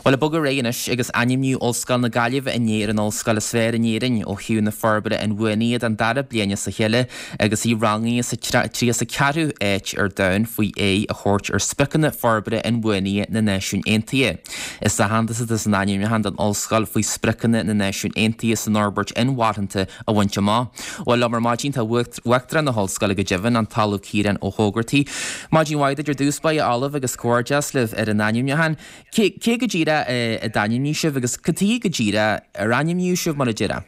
Bhuel, ag bogadh ar aghaidh anois agus ainmníodh Ollscoil na Gaillimhe inné ar an ollscoil is fearr in Éirinn ó thaobh na forbartha inbhuanaithe don dara bliain as a chéile agus í rangaithe sa 34ú áit ar domhan faoi aghaidh a thabhairt ar Spriocanna Forbartha Inbhuanaithe na Náisiún Aontaithe. Is aitheantas atá san ainmniúchán don ollscoil faoi Spriocanna na Náisiún Aontaithe san Fhorbairt Inmharthanta a bhaint amach. Bhuel, liom ar maidin tá Uachtarán na hOllscoile go deimhin, an tOllamh Ciarán Ó hÓgartaigh. Maidin mhaith duit ar dtús báire, a Ollaimh, agus comhghairdeas libh ar an ainmniúchán. Cé, cé go díreach a d'ainmnigh sibh agus cad chuige go díreach ar ainmníodh sibh, mar a déarfá?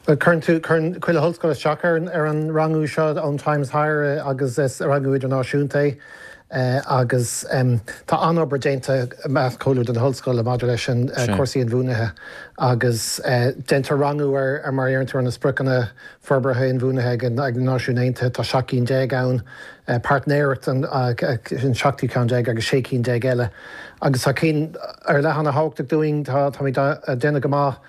Bhuel, cuireann tú, cuireann chuile ollscoil isteach ar an, ar an rangú seo ón Times Higher agus is rangú idirnáisiúnta é. Agus tá an-obair déanta i measc chomhluadar na hollscoile maidir leis an cúrsaí inbhuanaithe agus déantar rangú ar mar a deireann tú ar na spriocanna forbartha inbhuanaithe ag na Náisiúin Aontaithe. Tá 17 cinn ann, páirtnéireacht an seachtú ceann déag agus 16 cinn eile. Agus tá cinn ar leith an-thábhachtach dúinn, táimid ag déanamh go maith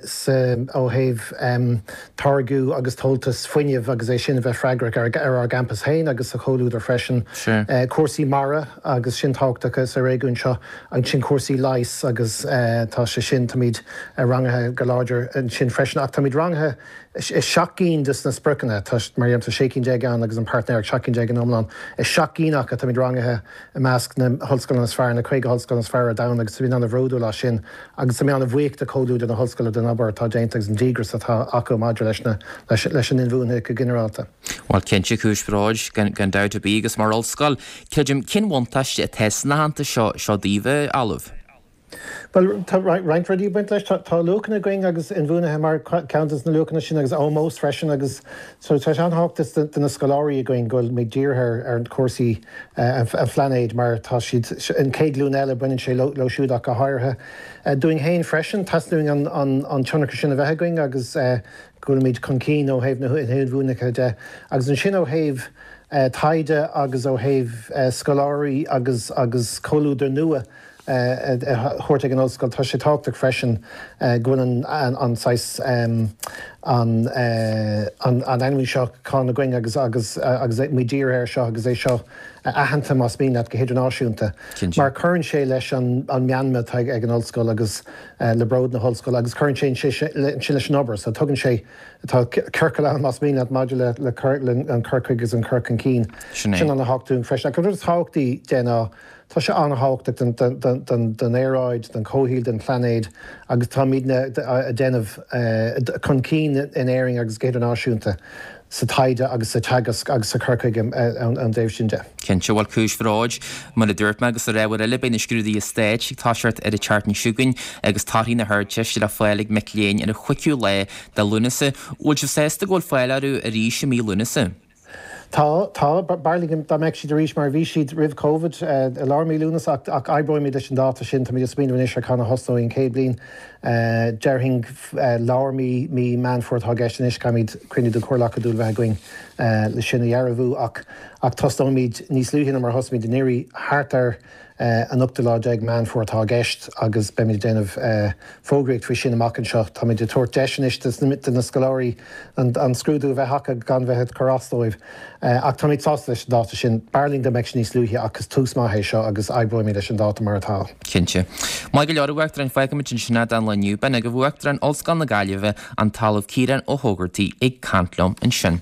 sa ó thaobh táirgiú agus tomhaltas fuinnimh agus é sin a bheith freagrach ar ár gcampas féin agus sa chomhluadar freisin. Cúrsaí mara agus sin tábhachtach sa réigiún seo. Ansin cúrsaí leighis agus tá sé sin, táimid rangaithe go láidir ansin freisin ach táimid rangaithe i seacht gcinn de na spriocanna, tá, mar a deirim, tá 16 cinn ann agus an páirtnéireacht, 17 cinn in iomlán. I seacht gcinn acu táimid rangaithe i measc na hollscoileanna is fearr, na 50 hollscoil is fearr ar domhan agus táimid an-bhródúil as sin agus táimid an-bhuíoch de chomhluadar na hollscoile den obair atá déanta agus an díograis atá acu maidir leis na, leis an inbhuanaitheacht go ginearálta. Bhuel, cinnte, cúis bhróid, gan dabht ar bith agus mar ollscoil, creidim, cén bhuntáiste atá san aitheantas seo, seo daoibh, a Ollaimh? Bhuel, tá roinnt rudaí ag baint leis. Tá luachanna againn agus inbhuanaithe mar cheann de na luachanna sin agus ómós freisin agus so tá sé an-thábhachtach do na scoláirí againn go bhfuil muid dírithe ar chúrsaí an phláinéid mar tá siad, an chéad ghlúin eile, baineann sé leo siúd ach go háirithe. Dúinn féin freisin, teastaíonn uainn an tionchar sin a bheith againn agus go bhfuilimid chun cinn ó thaobh na hinbhuanaitheachta de. Agus ansin ó thaobh taighde agus ó thaobh scoláirí agus agus comhluadar nua, a thabhairt ag an ollscoil. Tá sé tábhachtach freisin go bhfuil an saghas an ainmniúchán againn agus agus agus muid dírithe air seo agus é seo aitheanta más mian leat go hidirnáisiúnta mar cuireann sé leis an meanma atá ag an ollscoil agus le bród na hollscoile agus cuireann sé ansin leis an obair so tugann sé tá ciorcal ann más mian leat maidir le le an cur chuige agus an cur chun cinn. Sin an-thábhachtach dúinn freisin. Ach an rud is tábhachtaí de ná Tá sé an-thábhachtach don aeráid, don chomhshaol, don phlainéad agus táimidne ag déanamh chun cinn in Éirinn agus go hidirnáisiúnta sa taighde agus sa teagasc agus sa chur chuige ón dtaobh sin de. Cinnte, bhuel cúis bhróid, mar a dúirt mé agus ar ábhar eile, beidh na scrúduithe stáit ag toiseacht ar an tseachtain seo chugainn agus torthaí na hArdteiste le fáil ag mic léinn ar an chúigiú lá de Lúnasa. Bhfuil sibh sásta go bhfuil fáil orthu arís i mí Lúnasa? Tá, tá. B'fhearr linn dá mbeadh siad arís mar a bhí siad roimh Covid, i lár mí Lúnasa ach, ach oibreoimid leis an dáta sin. Táimid ag smaoineamh anois ar cathain a thosnóidh an chéad bhliain. Déarfainn lár mí, mí Meán Fómhair atá i gceist anois. Caithfimid cruinniú den Chomhairle Acadúil a bheith againn le sin a dhearbhú ach, ach tosnóimid níos luaithe ná mar a thosaímid anuraidh, thart ar an ochtú lá déag Meán Fómhair atá i gceist agus beimid ag déanamh fógraíocht faoi sin amach anseo. Táimid ag tabhairt deis anois do na scoláirí an scrúdú a bheith acu gan bheith ag cur as dóibh. Ach táimid sásta leis an dáta sin. B'fhearr linn dá mbeadh sé níos luaithe ach is tús maith é seo agus oibreoimid leis an dáta mar atá. Cinnte. Maith go leor, a Uachtaráin, fágfaimid ansin é don lá inniu. B'in agaibh Uachtarán Ollscoil na Gaillimhe, an tOllamh Ciarán Ó hÓgartaigh ag caint liom ansin.